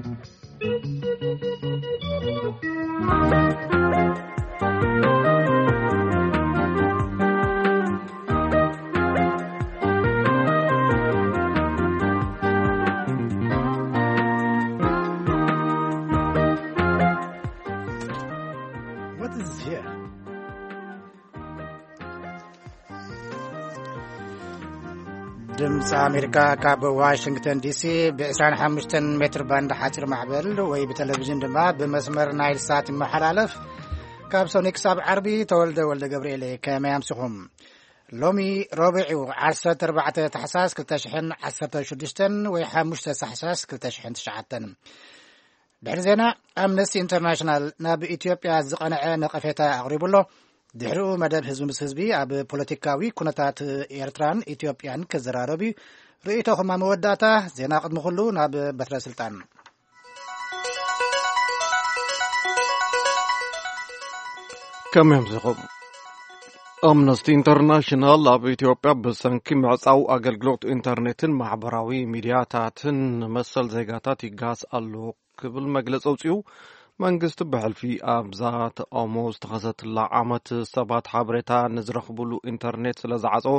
What is here? ድምፂ ኣሜሪካ ካብ ዋሽንግተን ዲሲ ብ ዕስራን ሓሙሽተን ሜትር ባንድ ሓፂር ማዕበል ወይ ብቴሌቪዥን ድማ ብመስመር ናይል ሳት ይመሓላለፍ። ካብ ሰኑይ ክሳብ ዓርቢ። ተወልደ ወልደ ገብርኤል፣ ከመይ ኣምሲኹም? ሎሚ ረቡዕ እዩ፣ ዓሰርተ ኣርባዕተ ታሕሳስ ክልተ ሽሕን ዓሰርተ ሽዱሽተን ወይ ሓሙሽተ ታሕሳስ ክልተ ሽሕን ትሽዓተን። ድሕሪ ዜና፣ ኣምነስቲ ኢንተርናሽናል ናብ ኢትዮጵያ ዝቐንዐ ነቐፌታ ኣቕሪቡ ኣሎ። ድሕሪኡ መደብ ህዝቢ ምስ ህዝቢ ኣብ ፖለቲካዊ ኩነታት ኤርትራን ኢትዮጵያን ክዘራረብ እዩ። ርእይቶኹም ኣብ መወዳእታ። ዜና ቅድሚ ኩሉ ናብ በትረ ስልጣን። ከመይ ኣምሲኹም? ኣምነስቲ ኢንተርናሽናል ኣብ ኢትዮጵያ ብሰንኪ ምዕጻው ኣገልግሎት ኢንተርኔትን ማሕበራዊ ሚድያታትን መሰል ዜጋታት ይጋስ ኣሎ ክብል መግለጺ ኣውጺኡ። መንግስቲ ብሕልፊ ኣብዛ ተቃውሞ ዝተኸሰትላ ዓመት ሰባት ሓበሬታ ንዝረኽብሉ ኢንተርኔት ስለ ዝዓጸዎ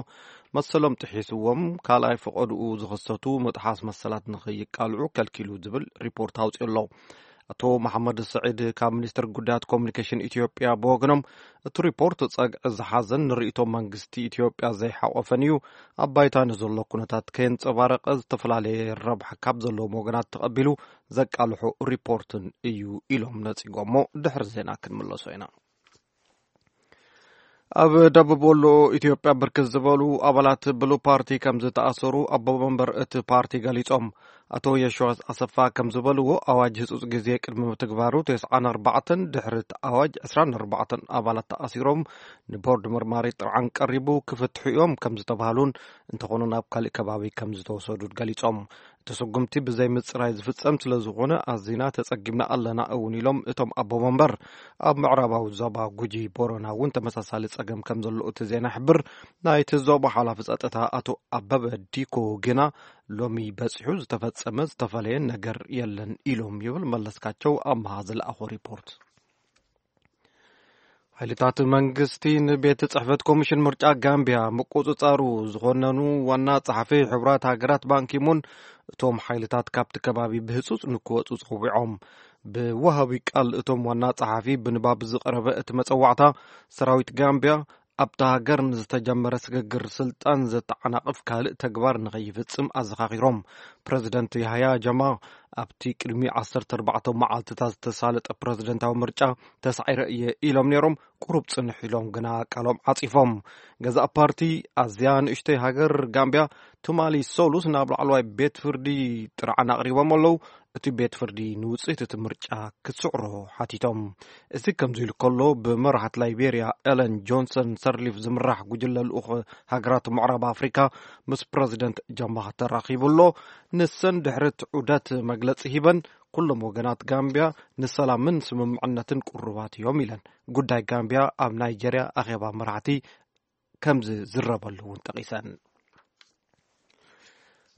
መሰሎም ጥሒስዎም ካልኣይ ፈቐድኡ ዝኸሰቱ ምጥሓስ መሰላት ንኸይቃልዑ ከልኪሉ ዝብል ሪፖርት ኣውጺኡ ኣሎ። ኣቶ መሓመድ ስዒድ ካብ ሚኒስትር ጉዳያት ኮሚኒኬሽን ኢትዮጵያ ብወገኖም፣ እቲ ሪፖርት ጸግዒ ዝሓዘን ንርእይቶ መንግስቲ ኢትዮጵያ ዘይሓቆፈን እዩ፣ ኣብ ባይታ ንዘሎ ኩነታት ከየንጸባረቐ ዝተፈላለየ ረብሓ ካብ ዘለዎም ወገናት ተቐቢሉ ዘቃልሖ ሪፖርትን እዩ ኢሎም ነጺጎሞ። ድሕሪ ዜና ክንምለሶ ኢና። ኣብ ደቡብ ወሎ ኢትዮጵያ ብርክት ዝበሉ ኣባላት ብሉ ፓርቲ ከም ዝተኣሰሩ ኣቦ መንበር እቲ ፓርቲ ገሊጾም። ኣቶ የሸዋስ ኣሰፋ ከም ዝበልዎ፣ ኣዋጅ ህጹጽ ግዜ ቅድሚ ምትግባሩ ተስዓን ኣርባዕተን ድሕሪ እቲ ኣዋጅ ዕስራን ኣርባዕተን ኣባላት ተኣሲሮም ንቦርድ መርማሪ ጥርዓን ቀሪቡ ክፍትሑ እዮም ከም ዝተባህሉን፣ እንተኾነ ናብ ካልእ ከባቢ ከም ዝተወሰዱ ገሊጾም። እቲ ስጉምቲ ብዘይ ምጽራይ ዝፍጸም ስለ ዝኾነ ኣዚና ተጸጊምና ኣለና እውን ኢሎም እቶም ኣቦ መንበር። ኣብ ምዕራባዊ ዞባ ጉጂ ቦረና እውን ተመሳሳሊ ጸገም ከም ዘሎ እቲ ዜና ይሕብር። ናይቲ ዞባ ሓላፊ ጸጥታ ኣቶ ኣበበ ዲኮ ግና ሎሚ በጺሑ ዝተፈጸመ ዝተፈለየ ነገር የለን ኢሎም ይብል መለስካቸው ኣምሃ ዝለኣኾ ሪፖርት። ሓይልታት መንግስቲ ንቤት ጽሕፈት ኮሚሽን ምርጫ ጋምቢያ ምቁጽጻሩ ዝኾነኑ ዋና ጸሓፊ ሕቡራት ሃገራት ባንኪሙን እቶም ሓይልታት ካብቲ ከባቢ ብህጹጽ ንክወጹ ጸዊዖም። ብወሃቢ ቃል እቶም ዋና ጸሓፊ ብንባብ ዝቐረበ እቲ መጸዋዕታ፣ ሰራዊት ጋምቢያ ኣብታ ሃገር ንዝተጀመረ ስግግር ስልጣን ዘተዓናቕፍ ካልእ ተግባር ንኸይፍጽም ኣዘኻኺሮም። ፕረዚደንት ያህያ ጀማ ኣብቲ ቅድሚ ዓሰርተ ኣርባዕተ መዓልትታት ዝተሳለጠ ፕረዚደንታዊ ምርጫ ተሳዒረ እየ ኢሎም ነይሮም። ቁሩብ ጽንሕ ኢሎም ግና ቃሎም ዓጺፎም። ገዛእ ፓርቲ ኣዝያ ንእሽተይ ሃገር ጋምቢያ ትማሊ ሰሉስ ናብ ላዕለዋይ ቤት ፍርዲ ጥርዓን ኣቕሪቦም ኣለዉ። እቲ ቤት ፍርዲ ንውጽኢት እቲ ምርጫ ክትስዕሮ ሓቲቶም። እዚ ከምዚ ኢሉ ከሎ፣ ብመራሕት ላይቤርያ ኤለን ጆንሰን ሰርሊፍ ዝምራሕ ጉጅለ ልኡኽ ሃገራት ምዕራብ ኣፍሪካ ምስ ፕረዚደንት ጃማ ተራኺቡ ኣሎ። ንሰን ድሕሪ እቲ ዑደት መግለጺ ሂበን፣ ኩሎም ወገናት ጋምቢያ ንሰላምን ስምምዕነትን ቅሩባት እዮም ኢለን። ጉዳይ ጋምቢያ ኣብ ናይጀርያ ኣኼባ መራሕቲ ከም ዝዝረበሉ እውን ጠቒሰን።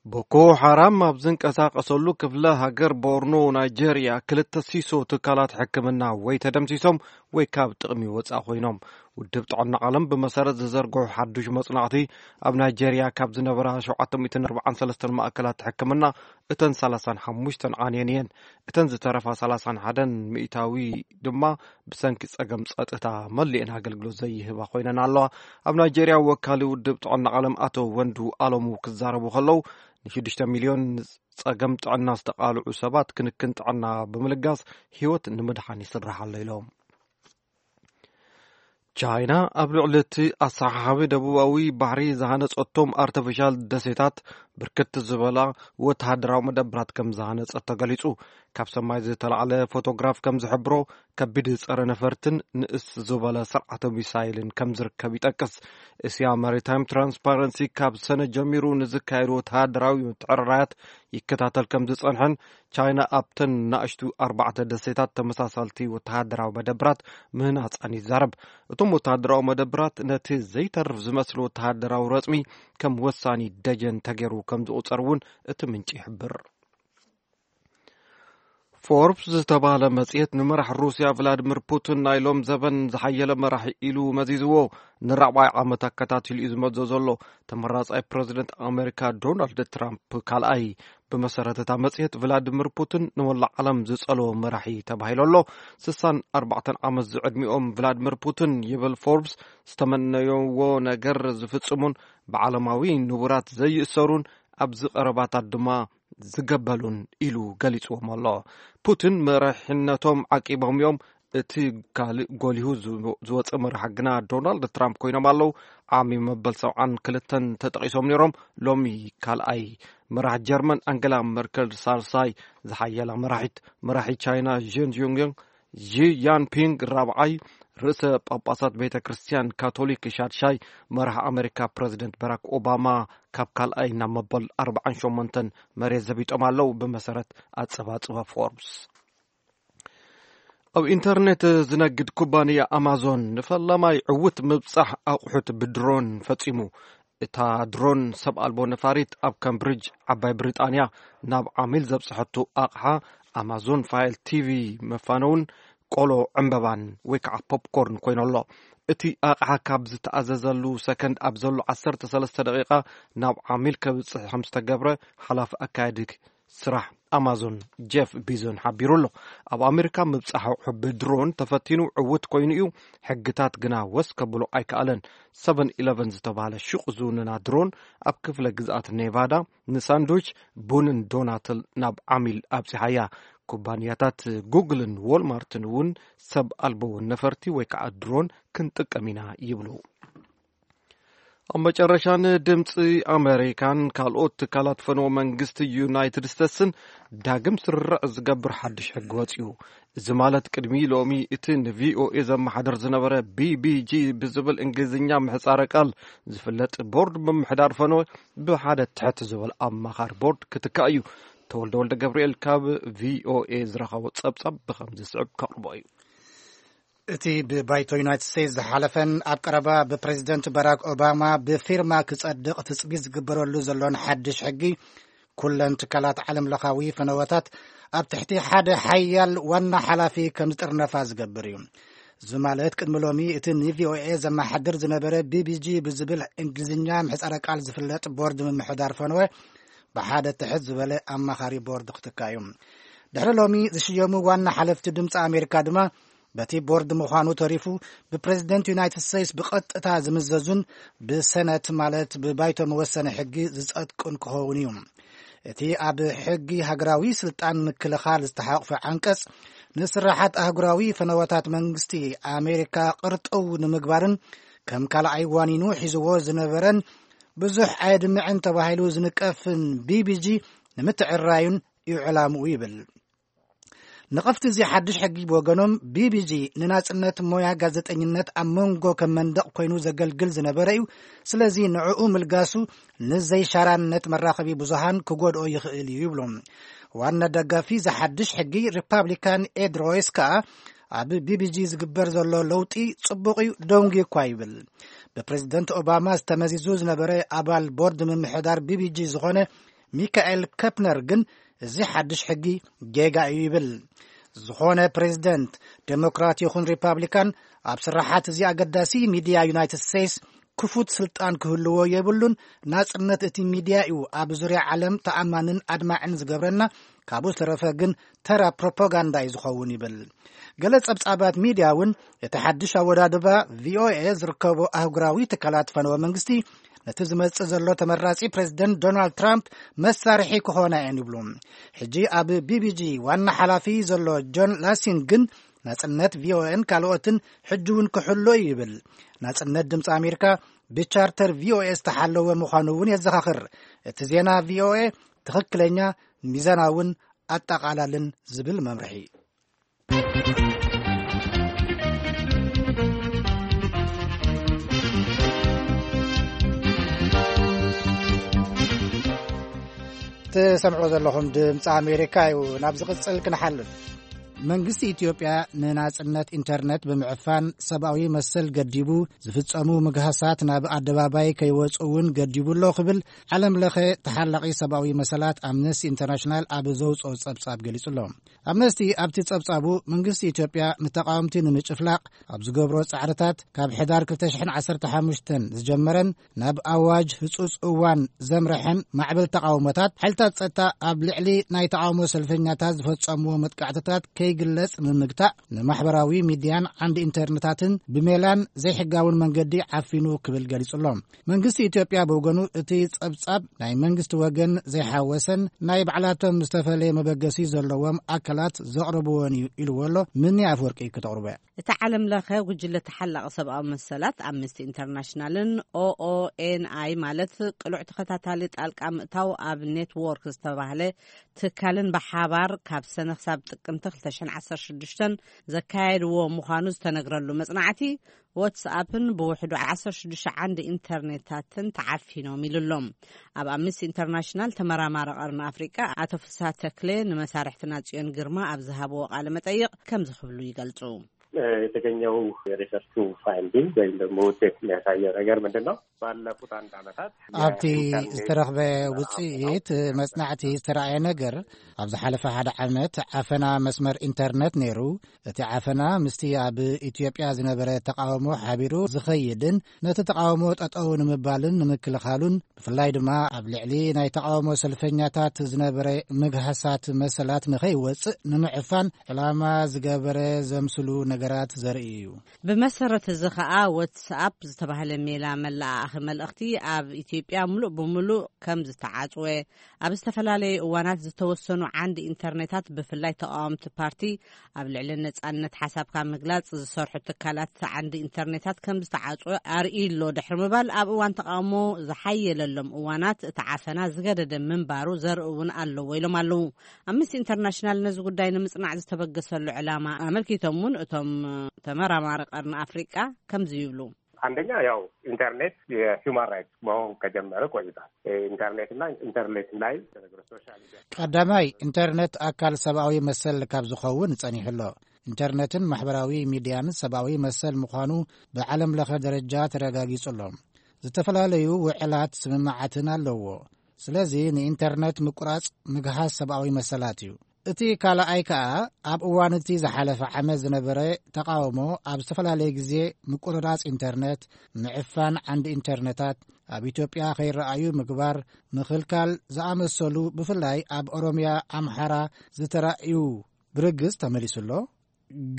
ቦኮ ሓራም ኣብ ዝንቀሳቐሰሉ ክፍለ ሃገር ቦርኖ ናይጀርያ፣ ክልተ ሲሶ ትካላት ሕክምና ወይ ተደምሲሶም ወይ ካብ ጥቕሚ ወጻኢ ኮይኖም። ውድብ ጥዕና ዓለም ብመሰረት ዝዘርግሑ ሓዱሽ መጽናዕቲ፣ ኣብ ናይጀርያ ካብ ዝነበራ ሸውዓተ ሚእትን ኣርባዓን ሰለስተን ማእከላት ሕክምና እተን ሰላሳን ሓሙሽተን ዓንየን እየን። እተን ዝተረፋ ሰላሳን ሓደን ሚእታዊ ድማ ብሰንኪ ጸገም ጸጥታ መሊኤን ኣገልግሎት ዘይህባ ኮይነን ኣለዋ። ኣብ ናይጀርያ ወካሊ ውድብ ጥዕና ዓለም ኣቶ ወንዱ ኣሎሙ ክዛረቡ ከለዉ፣ ንሽዱሽተ ሚልዮን ጸገም ጥዕና ዝተቓልዑ ሰባት ክንክን ጥዕና ብምልጋስ ህይወት ንምድሓን ይስራሕ ኣሎ ኢሎም። ቻይና ኣብ ልዕሊ እቲ ኣሰሓሓቢ ደቡባዊ ባሕሪ ዝሃነጸቶም ኣርተፊሻል ደሴታት ብርክት ዝበላ ወተሃደራዊ መደብራት ከም ዝሃነጸት ተገሊጹ። ካብ ሰማይ ዝተላዕለ ፎቶግራፍ ከም ዝሕብሮ፣ ከቢድ ጸረ ነፈርትን ንእስ ዝበለ ስርዓተ ሚሳይልን ከም ዝርከብ ይጠቅስ። እስያ ማሪታይም ትራንስፓረንሲ ካብ ሰነ ጀሚሩ ንዝካየዱ ወተሃደራዊ ምትዕርራያት ይከታተል ከም ዝጸንሐን፣ ቻይና ኣብተን ናእሽቱ ኣርባዕተ ደሴታት ተመሳሳልቲ ወተሃደራዊ መደብራት ምህናጻን ይዛረብ። እቶም ወተሃደራዊ መደብራት ነቲ ዘይተርፍ ዝመስል ወተሃደራዊ ረጽሚ ከም ወሳኒ ደጀን ተገይሩ ከም ዝቑጸር እውን እቲ ምንጪ ይሕብር። ፎርብስ ዝተባህለ መጽሔት ንመራሕ ሩስያ ቭላድሚር ፑቲን ናይ ሎም ዘበን ዝሓየለ መራሒ ኢሉ መዚዝዎ። ንራብዓይ ዓመት ኣከታቲሉ እዩ ዝመዞ ዘሎ። ተመራጻይ ፕረዚደንት ኣሜሪካ ዶናልድ ትራምፕ ካልኣይ። ብመሰረት እታ መጽሔት፣ ቭላድሚር ፑቲን ንመላእ ዓለም ዝጸልዎ መራሒ ተባሂሉ ኣሎ። ስሳን ኣርባዕተን ዓመት ዝዕድሚኦም ቭላድሚር ፑቲን፣ ይብል ፎርብስ፣ ዝተመነይዎ ነገር ዝፍጽሙን ብዓለማዊ ንቡራት ዘይእሰሩን ኣብዚ ቀረባታት ድማ ዝገበሉን ኢሉ ገሊጽዎም ኣሎ። ፑቲን መራሕነቶም ዓቂቦም እዮም። እቲ ካልእ ጎሊሁ ዝወ-፣ ዝወጸ መራሒ ግና ዶናልድ ትራምፕ ኮይኖም ኣለዉ። ዓሚ መበል ሰብዓን ክልተን ተጠቒሶም ነይሮም። ሎሚ ካልኣይ። መራሒ ጀርመን ኣንገላ መርከል ሳልሳይ። ዝሓየላ መራሒት፣ መራሒ ቻይና ዥን ዩንግን፣ ዢ ያንፒንግ ራብዓይ። ርእሰ ጳጳሳት ቤተ ክርስቲያን ካቶሊክ ሻድሻይ። መራሒ ኣሜሪካ ፕረዚደንት ባራክ ኦባማ ካብ ካልኣይ ናብ መበል ኣርባዓን ሸሞንተን መሬት ዘቢጦም ኣለዉ፣ ብመሰረት ኣጸባጽባ ፎርብስ። ኣብ ኢንተርኔት ዝነግድ ኩባንያ ኣማዞን ንፈላማይ ዕውት ምብጻሕ ኣቑሑት ብድሮን ፈጺሙ። እታ ድሮን ሰብ ኣልቦ ነፋሪት ኣብ ካምብሪጅ ዓባይ ብሪጣንያ ናብ ዓሚል ዘብጽሐቱ ኣቕሓ ኣማዞን ፋየር ቲቪ፣ መፋነውን ቆሎ ዕምበባን ወይ ከዓ ፖፕኮርን ኮይኑ ኣሎ። እቲ ኣቕሓ ካብ ዝተኣዘዘሉ ሰከንድ ኣብ ዘሎ ዓሰርተ ሰለስተ ደቂቓ ናብ ዓሚል ከብጽሕ ከም ዝተገብረ ሓላፊ ኣካያዲ ስራሕ ኣማዞን ጀፍ ቢዞን ሓቢሩ ኣሎ። ኣብ ኣሜሪካ ምብጻሕ ኣቑሑ ብድሮን ተፈቲኑ ዕውት ኮይኑ እዩ። ሕግታት ግና ወስ ከብሎ ኣይከኣለን። ሰቨን ኢለቨን ዝተባህለ ሹቕ ዝውንና ድሮን ኣብ ክፍለ ግዝኣት ኔቫዳ ንሳንድዊች፣ ቡንን ዶናትን ናብ ዓሚል ኣብጺሓያ። ኩባንያታት ጉግልን ዎልማርትን እውን ሰብ ኣልቦ ነፈርቲ ወይ ከዓ ድሮን ክንጥቀም ኢና ይብሉ። ኣብ መጨረሻን ድምፂ ኣሜሪካን ካልኦት ትካላት ፈነወ መንግስቲ ዩናይትድ ስቴትስን ዳግም ስርርዕ ዝገብር ሓድሽ ሕጊ ወፂኡ። እዚ ማለት ቅድሚ ሎሚ እቲ ንቪኦኤ ዘመሓደር ዝነበረ ቢቢጂ ብዝብል እንግሊዝኛ ምሕፃረ ቃል ዝፍለጥ ቦርድ ምምሕዳር ፈነወ ብሓደ ትሕት ዝበል ኣማኻሪ ቦርድ ክትካእ እዩ። ተወልደ ወልደ ገብርኤል ካብ ቪኦኤ ዝረኸቦ ጸብጻብ ብኸም ዝስዕብ ከቕርቦ እዩ። እቲ ብባይቶ ዩናይትድ ስቴትስ ዝሓለፈን ኣብ ቀረባ ብፕሬዚደንት ባራክ ኦባማ ብፊርማ ክጸድቕ ትጽቢት ዝግበረሉ ዘሎን ሓድሽ ሕጊ፣ ኩለን ትካላት ዓለም ለኻዊ ፈነወታት ኣብ ትሕቲ ሓደ ሓያል ዋና ሓላፊ ከም ዝጥርነፋ ዝገብር እዩ። እዚ ማለት ቅድሚ ሎሚ እቲ ንቪኦኤ ዘመሓድር ዝነበረ ቢቢጂ ብዝብል እንግሊዝኛ ምሕጻረ ቃል ዝፍለጥ ቦርድ ምምሕዳር ፈነወ ብሓደ ትሕት ዝበለ ኣማኻሪ ቦርድ ክትካ እዩ። ድሕሪ ሎሚ ዝሽየሙ ዋና ሓለፍቲ ድምፂ ኣሜሪካ ድማ በቲ ቦርድ ምዃኑ ተሪፉ ብፕሬዚደንት ዩናይትድ ስቴትስ ብቐጥታ ዝምዘዙን ብሰነት ማለት ብባይቶ መወሰኒ ሕጊ ዝጸድቅን ክኸውን እዩ። እቲ ኣብ ሕጊ ሃገራዊ ስልጣን ምክልኻል ዝተሓቑፈ ዓንቀጽ ንስራሓት ኣህጉራዊ ፈነወታት መንግስቲ ኣሜሪካ ቅርጥው ንምግባርን ከም ካልኣይ ዋኒኑ ሒዝዎ ዝነበረን ብዙሕ ኣየድምዕን ተባሂሉ ዝንቀፍን ቢቢጂ ንምትዕራዩን እዩ ዕላምኡ ይብል። ነቐፍቲ እዚ ሓድሽ ሕጊ ብወገኖም፣ ቢቢጂ ንናጽነት ሞያ ጋዜጠኝነት ኣብ መንጎ ከም መንደቕ ኮይኑ ዘገልግል ዝነበረ እዩ። ስለዚ ንዕኡ ምልጋሱ ንዘይሻራነት መራኸቢ ብዙሃን ክጎድኦ ይኽእል እዩ ይብሉ። ዋና ደጋፊ እዚ ሓድሽ ሕጊ ሪፓብሊካን ኤድ ሮይስ ከኣ ኣብ ቢቢጂ ዝግበር ዘሎ ለውጢ ጽቡቕ እዩ፣ ደንጉዩ እኳ ይብል። ብፕሬዚደንት ኦባማ ዝተመዚዙ ዝነበረ ኣባል ቦርድ ምምሕዳር ቢቢጂ ዝኾነ ሚካኤል ከፕነር ግን እዚ ሓድሽ ሕጊ ጌጋ እዩ ይብል። ዝኾነ ፕሬዚደንት፣ ዴሞክራት ይኹን ሪፓብሊካን፣ ኣብ ስራሓት እዚ ኣገዳሲ ሚድያ ዩናይትድ ስቴትስ ክፉት ስልጣን ክህልዎ የብሉን። ናጽነት እቲ ሚድያ እዩ ኣብ ዙርያ ዓለም ተኣማንን ኣድማዕን ዝገብረና፣ ካብኡ ዝተረፈ ግን ተራ ፕሮፓጋንዳ እዩ ዝኸውን ይብል። ገለ ጸብጻባት ሚድያ እውን እቲ ሓድሽ ኣወዳድባ ቪኦኤ ዝርከቦ ኣህጉራዊ ትካላት ፈነወ መንግስቲ ነቲ ዝመጽእ ዘሎ ተመራጺ ፕሬዚደንት ዶናልድ ትራምፕ መሳርሒ ክኾና እየን ይብሉ። ሕጂ ኣብ ቢቢጂ ዋና ሓላፊ ዘሎ ጆን ላሲን ግን ናጽነት ቪኦኤን ካልኦትን ሕጂ እውን ክሕሎ እዩ ይብል። ናጽነት ድምፂ ኣሜሪካ ብቻርተር ቪኦኤ ዝተሓለወ ምዃኑ እውን የዘኻኽር። እቲ ዜና ቪኦኤ ትኽክለኛ፣ ሚዛናውን ኣጠቓላልን ዝብል መምርሒ። ትሰምዕዎ ዘለኹም ድምፂ ኣሜሪካ እዩ። ናብ ዝቕፅል ክንሓልፍ። መንግስቲ ኢትዮጵያ ንናጽነት ኢንተርነት ብምዕፋን ሰብኣዊ መሰል ገዲቡ፣ ዝፍጸሙ ምግሃሳት ናብ ኣደባባይ ከይወጹ እውን ገዲቡ ኣሎ ክብል ዓለም ለኸ ተሓላቒ ሰብኣዊ መሰላት ኣምነስቲ ኢንተርናሽናል ኣብ ዘውጽኦ ጸብጻብ ገሊጹ ኣሎ። ኣምነስቲ ኣብቲ ጸብጻቡ መንግስቲ ኢትዮጵያ ንተቃወምቲ ንምጭፍላቕ ኣብ ዝገብሮ ጻዕርታት ካብ ሕዳር ክልተ ሽሕን ዓሰርተ ሓሙሽተን ዝጀመረን ናብ ኣዋጅ ህጹጽ እዋን ዘምርሐን ማዕበል ተቃውሞታት፣ ሓይልታት ጸጥታ ኣብ ልዕሊ ናይ ተቃውሞ ሰልፈኛታት ዝፈጸምዎ መጥቃዕትታት ከይግለጽ ንምግታእ ንማሕበራዊ ሚድያን ዓንዲ ኢንተርነታትን ብሜላን ዘይሕጋውን መንገዲ ዓፊኑ ክብል ገሊጹ ኣሎ። መንግስቲ ኢትዮጵያ ብወገኑ እቲ ጸብጻብ ናይ መንግስቲ ወገን ዘይሓወሰን ናይ ባዕላቶም ዝተፈለየ መበገሲ ዘለዎም ኣካላት ዘቕረብዎን እዩ ኢልዎ ኣሎ። ምኒ ኣፍወርቂ ክተቕርቦ እያ። እቲ ዓለም ለኸ ጉጅለ ተሓላቒ ሰብኣዊ መሰላት ኣምነስቲ ኢንተርናሽናልን ኦኦኤንኣይ ማለት ቅሉዕ ተኸታታሊ ጣልቃ ምእታው ኣብ ኔትዎርክ ዝተባህለ ትካልን ብሓባር ካብ ሰነ ክሳብ ጥቅምቲ ክልተ ሽሕን ዓሰርተ ሽዱሽተን ዘካየድዎ ምዃኑ ዝተነግረሉ መጽናዕቲ፣ ዋትስኣፕን ብውሕዱ ዓሰርተ ሽዱሽተ ዓንዲ ኢንተርኔታትን ተዓፊኖም ኢሉሎም። ኣብ ኣምነስቲ ኢንተርናሽናል ተመራማሪ ቀርኒ ኣፍሪቃ ኣቶ ፍስሃ ተክሌ ንመሳርሕትና ጽዮን ግርማ ኣብ ዝሃብዎ ቃለ መጠይቕ ከምዚ ክብሉ ይገልጹ። የተገኘው የሪሰርቹ ፋይንዲንግ ወይም ደግሞ ውጤት የሚያሳየው ነገር ምንድን ነው? ባለፉት አንድ ዓመታት ኣብቲ ዝተረኽበ ውጽኢት መጽናዕቲ ዝተረኣየ ነገር፣ ኣብ ዝሓለፈ ሓደ ዓመት ዓፈና መስመር ኢንተርነት ነይሩ። እቲ ዓፈና ምስቲ ኣብ ኢትዮጵያ ዝነበረ ተቃውሞ ሓቢሩ ዝኸይድን ነቲ ተቃውሞ ጠጠው ንምባልን ንምክልኻሉን፣ ብፍላይ ድማ ኣብ ልዕሊ ናይ ተቃውሞ ሰልፈኛታት ዝነበረ ምግሃሳት መሰላት ንኸይወጽእ ንምዕፋን ዕላማ ዝገበረ ዘምስሉ ነገራት ዘርኢ እዩ። ብመሰረት እዚ ኸኣ ዋትስኣፕ ዝተባህለ ሜላ መለኣኣኺ መልእኽቲ ኣብ ኢትዮጵያ ሙሉእ ብሙሉእ ከም ዝተዓጽወ፣ ኣብ ዝተፈላለዩ እዋናት ዝተወሰኑ ዓንዲ ኢንተርኔታት ብፍላይ ተቃወምቲ ፓርቲ ኣብ ልዕሊ ነጻነት ሓሳብካ ምግላጽ ዝሰርሑ ትካላት ዓንዲ ኢንተርኔታት ከም ዝተዓጽወ ኣርእዩ ኣሎ ድሕሪ ምባል፣ ኣብ እዋን ተቃውሞ ዝሓየለሎም እዋናት እቲ ዓፈና ዝገደደ ምንባሩ ዘርኢ እውን ኣለዎ ኢሎም ኣለዉ። ኣምነስቲ ኢንተርናሽናል ነዚ ጉዳይ ንምጽናዕ ዝተበገሰሉ ዕላማ ኣመልኪቶም እውን እቶም ተመራማሪ ቀርኒ ኣፍሪቃ ከምዚ ይብሉ። አንደኛ ያው ኢንተርኔት የሂውማን ራይትስ መሆን ከጀመረ ቆይቷል። ኢንተርኔትና ኢንተርኔት ላይ ቀዳማይ፣ ኢንተርኔት ኣካል ሰብኣዊ መሰል ካብ ዝኸውን ጸኒሑ ኣሎ። ኢንተርኔትን ማሕበራዊ ሚድያን ሰብኣዊ መሰል ምዃኑ ብዓለም ለኸ ደረጃ ተረጋጊጹ ኣሎ። ዝተፈላለዩ ውዕላት ስምምዓትን ኣለዎ። ስለዚ ንኢንተርኔት ምቁራጽ ምግሃስ ሰብኣዊ መሰላት እዩ። እቲ ካልኣይ ከኣ ኣብ እዋን እቲ ዝሓለፈ ዓመት ዝነበረ ተቃውሞ ኣብ ዝተፈላለየ ግዜ ምቁርራጽ ኢንተርኔት፣ ምዕፋን ዓንዲ ኢንተርነታት፣ ኣብ ኢትዮጵያ ከይረኣዩ ምግባር፣ ምኽልካል ዝኣመሰሉ ብፍላይ ኣብ ኦሮሚያ ኣምሓራ ዝተራእዩ ብርግጽ ተመሊሱ ኣሎ።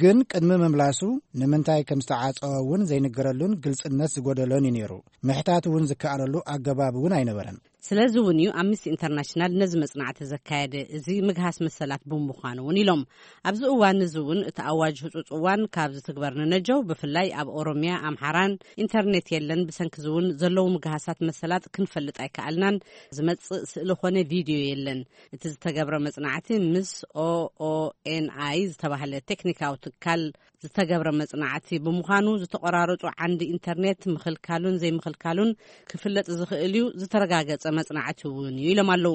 ግን ቅድሚ ምምላሱ ንምንታይ ከም ዝተዓጸወ እውን ዘይንገረሉን ግልጽነት ዝጎደሎን እዩ ነይሩ። ምሕታት እውን ዝከኣለሉ ኣገባብ እውን ኣይነበረን። ስለዚ እውን እዩ ኣምነስቲ ኢንተርናሽናል ነዚ መጽናዕቲ ዘካየደ። እዚ ምግሃስ መሰላት ብምዃኑ እውን ኢሎም። ኣብዚ እዋን እዚ እውን እቲ ኣዋጅ ህጹጽ እዋን ካብ ዝትግበር ንነጀው ብፍላይ ኣብ ኦሮሚያ ኣምሓራን ኢንተርኔት የለን። ብሰንኪ እዚ እውን ዘለዉ ምግሃሳት መሰላት ክንፈልጥ ኣይከኣልናን። ዝመጽእ ስእሊ ኮነ ቪድዮ የለን። እቲ ዝተገብረ መጽናዕቲ ምስ ኦኦኤንኣይ ዝተባህለ ቴክኒካዊ ትካል ዝተገብረ መጽናዕቲ ብምዃኑ ዝተቆራረጹ ዓንዲ ኢንተርኔት ምኽልካሉን ዘይምኽልካሉን ክፍለጥ ዝኽእል እዩ። ዝተረጋገጸ መጽናዕቲ እውን እዩ ኢሎም ኣለዉ።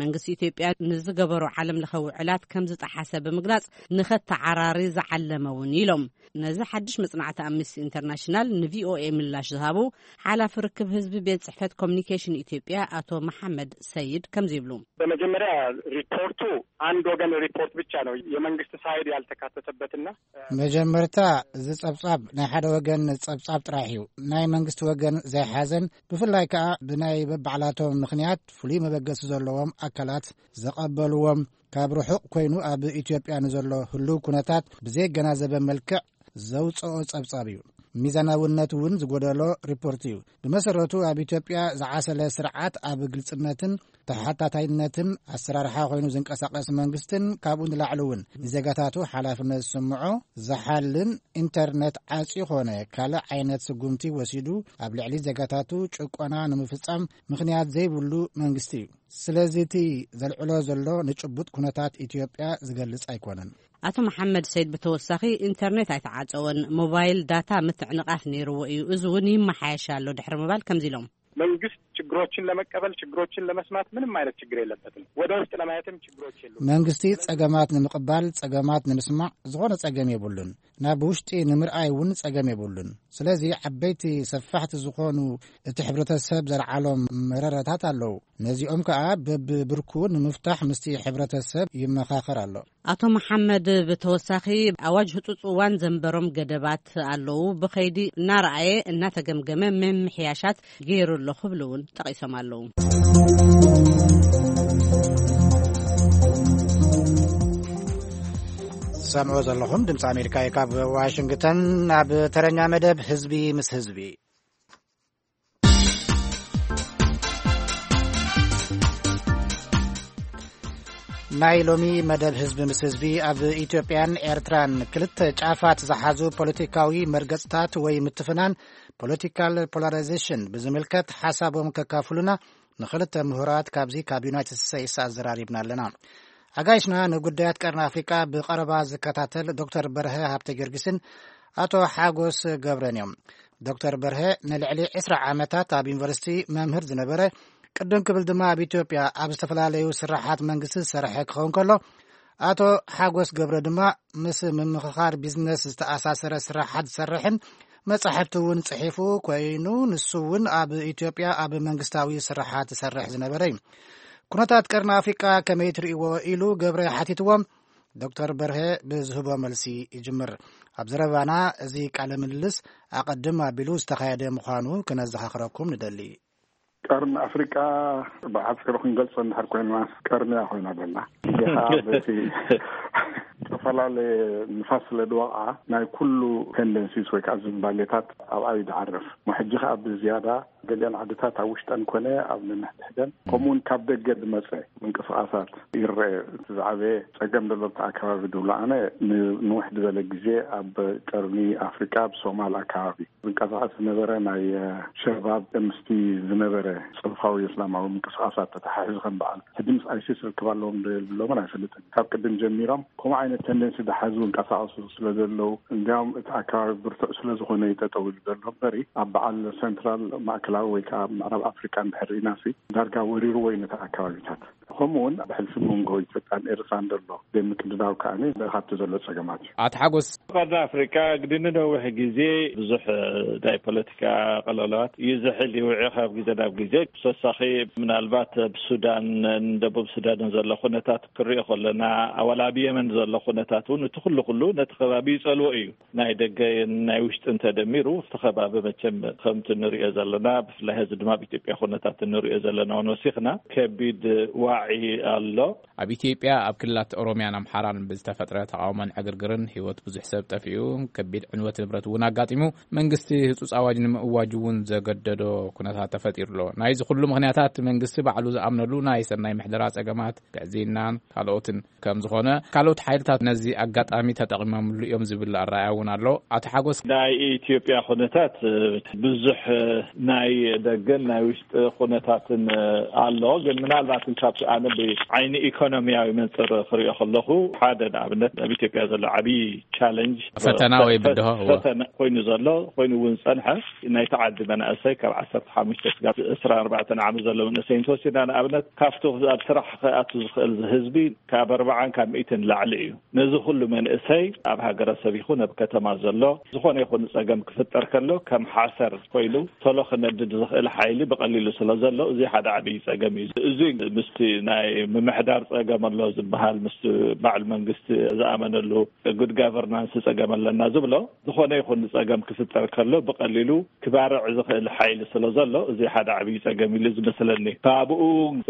መንግስቲ ኢትዮጵያ ንዝገበሩ ዓለም ለኸ ውዕላት ከም ዝጠሓሰ ብምግላጽ ንኸተዓራሪ ዝዓለመ እውን ኢሎም። ነዚ ሓድሽ መጽናዕቲ ኣምነስቲ ኢንተርናሽናል ንቪኦኤ ምላሽ ዝሃቡ ሓላፊ ርክብ ህዝቢ ቤት ጽሕፈት ኮሚኒኬሽን ኢትዮጵያ ኣቶ መሓመድ ሰይድ ከምዚ ይብሉ። በመጀመሪያ ሪፖርቱ አንድ ወገን ሪፖርት ብቻ ነው፣ የመንግስት ሳይድ ያልተካተተበትና። መጀመርታ፣ እዚ ጸብጻብ ናይ ሓደ ወገን ጸብጻብ ጥራሕ እዩ፣ ናይ መንግስቲ ወገን ዘይሓዘን፣ ብፍላይ ከኣ ብናይ በባዕላቶም ምኽንያት ፍሉይ መበገሲ ዘለዎም ኣካላት ዘቐበልዎም፣ ካብ ርሑቕ ኮይኑ ኣብ ኢትዮጵያ ንዘሎ ህሉው ኩነታት ብዘየገናዘበ መልክዕ ዘውጽኦ ጸብጻብ እዩ። ሚዛናውነት እውን ዝጎደሎ ሪፖርት እዩ። ብመሰረቱ ኣብ ኢትዮጵያ ዝዓሰለ ስርዓት ኣብ ግልጽነትን ተሓታታይነትን ኣሰራርሓ ኮይኑ ዝንቀሳቐስ መንግስትን ካብኡ ንላዕሊ እውን ንዜጋታቱ ሓላፍነት ዝስምዖ ዝሓልን ኢንተርኔት ዓጽዩ ኮነ ካልእ ዓይነት ስጉምቲ ወሲዱ ኣብ ልዕሊ ዜጋታቱ ጭቆና ንምፍጻም ምኽንያት ዘይብሉ መንግስቲ እዩ። ስለዚ እቲ ዘልዕሎ ዘሎ ንጭቡጥ ኩነታት ኢትዮጵያ ዝገልጽ ኣይኮነን። ኣቶ መሓመድ ሰይድ ብተወሳኺ ኢንተርኔት ኣይተዓጸወን፣ ሞባይል ዳታ ምትዕንቓፍ ነይርዎ እዩ፣ እዚ እውን ይመሓየሽ ኣሎ ድሕሪ ምባል ከምዚ ኢሎም። መንግስት ችግሮችን ለመቀበል፣ ችግሮችን ለመስማት ምንም አይነት ችግር የለበትም። ወደ ውስጥ ለማየትም ችግሮች የሉም። መንግስቲ ጸገማት ንምቕባል፣ ጸገማት ንምስማዕ ዝኾነ ጸገም የብሉን። ናብ ውሽጢ ንምርኣይ እውን ጸገም የብሉን። ስለዚ ዓበይቲ ሰፋሕቲ ዝኾኑ እቲ ሕብረተሰብ ዘልዓሎም መረረታት ኣለዉ። ነዚኦም ከኣ በብብርኩ ንምፍታሕ ምስቲ ሕብረተሰብ ይመኻኸር ኣሎ። ኣቶ መሓመድ ብተወሳኺ ኣዋጅ ህጹጽ እዋን ዘንበሮም ገደባት ኣለዉ። ብኸይዲ እናረኣየ እናተገምገመ ምምሕያሻት ገይሩ ኣሎ ክብሉ እውን ጠቒሶም ኣለዉ። ትሰምዑ ዘለኹም ድምፂ ኣሜሪካ እዩ። ካብ ዋሽንግተን። ኣብ ተረኛ መደብ ህዝቢ ምስ ህዝቢ። ናይ ሎሚ መደብ ህዝቢ ምስ ህዝቢ ኣብ ኢትዮጵያን ኤርትራን ክልተ ጫፋት ዝሓዙ ፖለቲካዊ መርገጽታት ወይ ምትፍናን፣ ፖለቲካል ፖላራይዜሽን፣ ብዝምልከት ሓሳቦም ከካፍሉና ንኽልተ ምሁራት ካብዚ ካብ ዩናይትድ ስቴትስ ኣዘራሪብና ኣለና። ኣጋይሽና ንጉዳያት ቀርኒ ኣፍሪቃ ብቐረባ ዝከታተል ዶክተር በርሀ ሃብተ ጊዮርጊስን ኣቶ ሓጎስ ገብረን እዮም። ዶክተር በርሀ ንልዕሊ ዕስራ ዓመታት ኣብ ዩኒቨርሲቲ መምህር ዝነበረ፣ ቅድም ክብል ድማ ኣብ ኢትዮጵያ ኣብ ዝተፈላለዩ ስራሓት መንግስቲ ዝሰርሐ ክኸውን ከሎ፣ ኣቶ ሓጎስ ገብረ ድማ ምስ ምምኽኻር ቢዝነስ ዝተኣሳሰረ ስራሓት ዝሰርሕን መጻሕፍቲ እውን ጽሒፉ ኮይኑ፣ ንሱ እውን ኣብ ኢትዮጵያ ኣብ መንግስታዊ ስራሓት ዝሰርሕ ዝነበረ እዩ። ኩነታት ቀርኒ ኣፍሪቃ ከመይ ትርእይዎ ኢሉ ገብረ ሓቲትዎም። ዶክተር በርሀ ብዝህቦ መልሲ ይጅምር። ኣብ ዘረባና እዚ ቃለ ምልልስ ኣቐድም ኣቢሉ ዝተኻየደ ምዃኑ ክነዘኻኽረኩም ንደሊ። ቀርኒ ኣፍሪቃ ብሓፂሩ ክንገልጾ እንድሕር ኮይንና፣ ቀርኒ እያ ኮይና ዘላ። እዚ ከዓ በቲ ዝተፈላለየ ንፋስ ስለ ዝወቕዓ ናይ ኩሉ ቴንደንሲስ ወይ ከዓ ዝንባሌታት ኣብኣ እዩ ዝዓርፍ። እሞ ሕጂ ከዓ ብዝያዳ ገሊአን ዓድታት ኣብ ውሽጠን ኮነ ኣብ ነንሕድሕደን፣ ከምኡ እውን ካብ ደገ ዝመፀ ምንቅስቃሳት ይረአ። እቲ ዝዓበየ ፀገም ዘሎ ኣብቲ ኣከባቢ ዝብሎ ኣነ፣ ንንውሕ ዝበለ ግዜ ኣብ ቀርኒ ኣፍሪቃ፣ ኣብ ሶማል ኣከባቢ ዝንቀሳቐስ ዝነበረ ናይ፣ እ፣ ሸባብ ምስቲ ዝነበረ ፅንፋዊ እስላማዊ ምንቅስቃሳት ተተሓሒዙ፣ ከም በዓል ሕጂ ምስ ኣይሲስ ርክብ ኣለዎም ዶ የብሎምን ኣይፈልጥን። ካብ ቅድም ጀሚሮም ከምኡ ዓይነት ቴንደንሲ ዝሓዙ ይንቀሳቐሱ ስለ ዘለዉ፣ እንዲያውም እቲ ኣከባቢ ብርቱዕ ስለ ዝኾነ እዩ ጠጠው ኢሉ ዘሎ እምበሪ፣ ኣብ በዓል ሴንትራል፣ ማእከላዊ ወይ ከዓ ምዕራብ ኣፍሪቃ እንድሕር ርኢናሲ፣ ዳርጋ ወሪርዎ እዩ ነቲ ኣከባቢታት። ከምኡ እውን ብሕልፊ መንጎ ኢትዮጵያን ኤርትራን ዘሎ ዘይምቅድዳው ከኣ ካብቲ ዘሎ ጸገማት እዩ። ኣቶ ሓጎስ። ቀርኒ ኣፍሪቃ ግዲ ንነዊሕ ግዜ ብዙሕ ናይ ፖለቲካ ቀለውላዋት ይዝሕል ይውዒ ካብ ግዜ ናብ ግዜ። ብተወሳኺ ምናልባት ኣብ ሱዳን፣ ደቡብ ሱዳንን ዘሎ ኩነታት ክሪኦ ከለና፣ ኣዋላ ኣብ የመን ዘሎ ኩነታት እውን እቲ ኩሉ ኩሉ ነቲ ከባቢ ይጸልዎ እዩ። ናይ ደገ ናይ ውሽጥን ተደሚሩ እቲ ከባቢ መቸም ከምቲ ንሪኦ ዘለና፣ ብፍላይ ሕዚ ድማ ኣብ ኢትዮጵያ ኩነታት እንሪኦ ዘለና እውን ወሲኽና ከቢድ ዋዒ ኣሎ። ኣብ ኢትዮጵያ ኣብ ክልላት ኦሮሚያን ኣምሓራን ብዝተፈጥረ ተቓውሞን ዕግርግርን ህይወት ብዙሕ ሰብ ጠፊኡ፣ ከቢድ ዕንወት ንብረት እውን ኣጋጢሙ፣ መንግስቲ ህጹጽ ኣዋጅ ንምእዋጅ እውን ዘገደዶ ኩነታት ተፈጢሩ ኣሎ። ናይዚ ኩሉ ምኽንያታት መንግስቲ ባዕሉ ዝኣምነሉ ናይ ሰናይ ምሕደራ ጸገማት፣ ግዕዝይናን ካልኦትን ከም ዝኾነ፣ ካልኦት ሓይልታት ነዚ ኣጋጣሚ ተጠቒሞምሉ እዮም ዝብል ኣረኣእያ እውን ኣሎ። ኣቶ ሓጎስ። ናይ ኢትዮጵያ ኩነታት፣ እ፣ ብዙሕ፣ እ፣ ናይ ደገን ናይ ውሽጢ ኩነታትን፣ እ፣ ኣሎ። ግን ምናልባት ካብቲ ኣነ ብዓይኒ ኢኮኖሚያዊ መንፅር ክሪኦ ከለኹ፣ ሓደ ንኣብነት ኣብ ኢትዮጵያ ዘሎ ዓብዪ ቻለንጅ፣ ፈተና ወይ ፈ-፣ ብድሆ፣ እወ። ፈተና ኮይኑ ዘሎ፣ ኮይኑ እውን ዝፀንሐ፣ ናይቲ ዓዲ መናእሰይ ካብ ዓሰርተ ሓሙሽተ ስጋብ ዕስራን ኣርባዕተን ዓመት ዘሎ መንእሰይ እንተወሲድና፣ ንኣብነት ካብቲ ኣብ ስራሕ ክኣቱ ዝኽእል ህዝቢ ካብ ኣርባዓን ካብ ሚእትን ላዕሊ እዩ። ነዚ ኩሉ መንእሰይ ኣብ ሃገረሰብ ይኹን ኣብ ከተማ ዘሎ ዝኾነ ይኹን ጸገም ክፍጠር ከሎ ከም ሓሰር ኮይኑ ቶሎ ክነድድ ዝኽእል ሓይሊ ብቐሊሉ ስለ ዘሎ፣ እዚ ሓደ ዓብዪ ጸገም እዩ። እዚ ምስቲ ናይ ምምሕዳር ጸገም ኣሎ ዝበሃል፣ ምስቲ በዓል መንግስቲ ዝኣመነሉ ጉድ ጋቨርናንስ ጸገም ኣለና ዝብሎ፣ ዝኾነ ይኹን ጸገም ክፍጠር ከሎ ብቐሊሉ ክባርዕ ዝኽእል ሓይሊ ስለ ዘሎ፣ እዚ ሓደ ዓብዪ ጸገም ኢሉ ዝመስለኒ። ካብኡ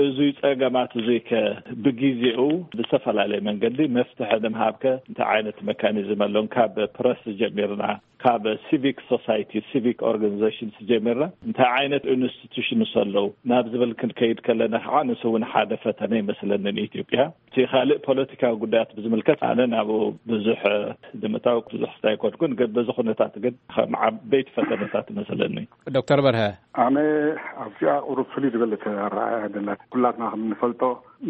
እዙይ ጸገማት እዙይ ከ ብግዜኡ ብዝተፈላለየ መንገዲ መፍትሒ ንምሃብ ከ እንታይ ዓይነት መካኒዝም ኣሎን? ካብ ፕረስ ጀሚርና፣ ካብ ሲቪክ ሶሳይቲ፣ ሲቪክ ኦርጋኒዜሽንስ ጀሚርና እንታይ ዓይነት ኢንስቲቱሽንስ ኣለዉ ናብ ዝብል ክንከይድ ከለና ከዓ ንሱ እውን ሓደ ፈተነ ይመስለኒ ንኢትዮጵያ። እቲ ካልእ ፖለቲካዊ ጉዳያት ብዝምልከት ኣነ ናብኡ ብዙሕ ንምእታው ብዙሕ ስታይ ኣይኮንኩን፣ ግን በዚ ኩነታት ግን ከም ዓበይቲ ፈተነታት ይመስለኒ። ዶክተር በርሀ። ኣነ ኣብዚኣ ቁሩብ ፍልይ ዝበለት ኣረኣእያ ደላት። ኩላትና ከም እንፈልጦ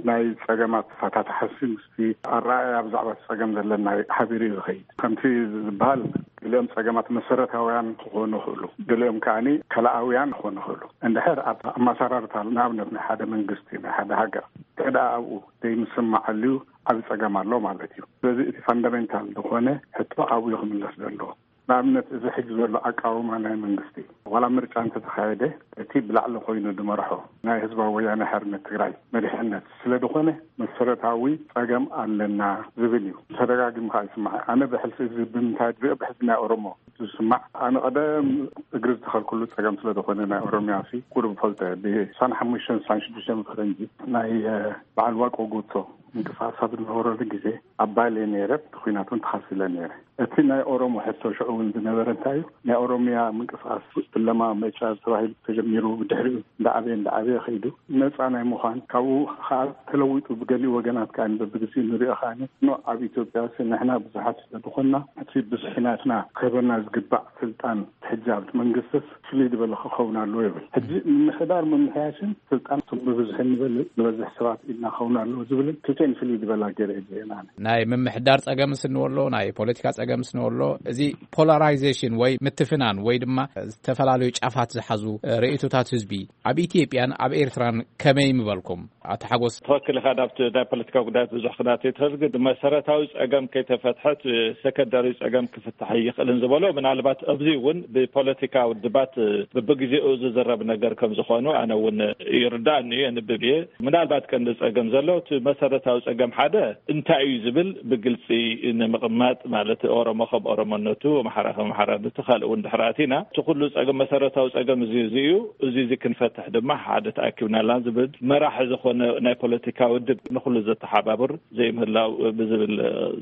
ናይ ጸገማት ተፋታታሕሲ ምስቲ ኣረኣእያ ብዛዕባ እቲ ጸገም ዘለና ሓቢሩ እዩ ዝኸይድ። ከምቲ ዝበሃል ገሊኦም ጸገማት መሰረታውያን ክኾኑ ይኽእሉ፣ ገሊኦም ከኣኒ ከላኣውያን ክኾኑ ይኽእሉ። እንድሕር ኣብ ኣመሰራርታ፣ ንኣብነት ናይ ሓደ መንግስቲ፣ ናይ ሓደ ሃገር፣ እንተ ደኣ ኣብኡ ዘይምስምማዕ ኣልዩ፣ ዓቢ ጸገም ኣሎ ማለት እዩ። ስለዚ እቲ ፋንዳሜንታል ዝኾነ ሕቶ ኣብኡ ክምለስ ዘለዎ። ንኣብነት፣ እዚ ሕጂ ዘሎ ኣቃውማ ናይ መንግስቲ፣ ዋላ ምርጫ እንተተኻየደ፣ እቲ ብላዕሊ ኮይኑ ዝመርሖ ናይ ህዝባዊ ወያነ ሓርነት ትግራይ መሪሕነት ስለ ዝኾነ፣ መሰረታዊ ጸገም ኣለና ዝብል እዩ። ተደጋጊሙ ከዓ ይስማዕ። ኣነ ብሕልፊ እዚ ብምንታይ ዝርኢ፣ ብሕልፊ ናይ ኦሮሞ ዝስማዕ። ኣነ ቀደም እግሪ ዝተኸልኩሉ ጸገም ስለ ዝኾነ፣ ናይ ኦሮሚያ ሲ ቁሩብ ፈልጠ። ብሳን ሓሙሽተን ሳን ሽዱሽተን ፈረንጂ ናይ፣ እ፣ በዓል ዋቆ ጉቶ ምንቅስቃስ ኣብ ዝነበረሉ ግዜ ኣብ ባሌ ነይረ፣ ብኩናት እውን ተኻፊለ ነይረ። እቲ ናይ ኦሮሞ ሕቶ ሽዑ እውን ዝነበረ እንታይ እዩ? ናይ ኦሮሚያ ምንቅስቃስ ፍለማ መጫ ተባሂሉ ተጀሚሩ፣ ብድሕሪኡ እንዳዓበየ እንዳዓበየ ከይዱ ነፃ ናይ ምዃን፣ ካብኡ ከዓ ተለዊጡ ብገሊኡ ወገናት ከዓ በብግዜኡ ንሪኦ ከዓ ኖ ኣብ ኢትዮጵያ ሲ ንሕና ብዙሓት ስለ ዝኾንና እቲ ብዙሕ ናትና ክህበና ዝግባእ ስልጣን ሕጂ ኣብቲ መንግስትስ ፍልይ ዝበለ ክኸውን ኣለዎ ይብል። ሕጂ ምምሕዳር ምምሕያሽን ስልጣን እቶም ብብዝሒ ንበል-፣ ንበዝሕ ሰባት ኢድና ክኸውን ኣለዎ ዝብልን ክልቲኤን ፍልይ ዝበላ ገይረ እየ ዝርእየን ኣነ። ናይ ምምሕዳር ጸገም ስንወሎ፣ ናይ ፖለቲካ ጸገም ስንወሎ፣ እዚ ፖላራይዜሽን ወይ ምትፍናን ወይ ድማ ዝተፈላለዩ ጫፋት ዝሓዙ፣ እ፣ ርእይቶታት ህዝቢ ኣብ ኢትዮጵያን ኣብ ኤርትራን ከመይ ምበልኩም? ኣቶ ሓጎስ። ትኽክል ኢኻ። ናብቲ ናይ ፖለቲካ ጉዳያት ብዙሕ ክናተይ ትኽእል፣ ግን መሰረታዊ ጸገም ከይተፈትሐት ሰከንዳሪ ጸገም ክፍታሕ ይኽእልን ዝበሎ፣ ምናልባት ኣብዚ እውን ብፖለቲካ ውድባት በብግዜኡ ዝዝረብ ነገር ከም ዝኾኑ ኣነ እውን ይርዳእኒ እየ፣ የንብብ እየ። ምናልባት ቀንዲ ጸገም ዘሎ እቲ መሰረታዊ ጸገም ሓደ እንታይ እዩ ዝብል ብግልጺ ንምቕማጥ፣ ማለት ኦሮሞ ከም ኦሮሞነቱ፣ ኣምሓራ ከም ኣምሓራነቱ፣ ካልእ እውን ድሕሪ ኣቲና፣ እቲ ኩሉ ጸገም፣ መሰረታዊ ጸገም እዚ፣ እዚ እዩ። እዚ፣ እዚ ክንፈትሕ ድማ ሓደ ተኣኪብናላን ዝብል መራሒ ዝኾነ ናይ ፖለቲካ ውድብ ንኹሉ ዘተሓባብር ዘይምህላው ብዝብል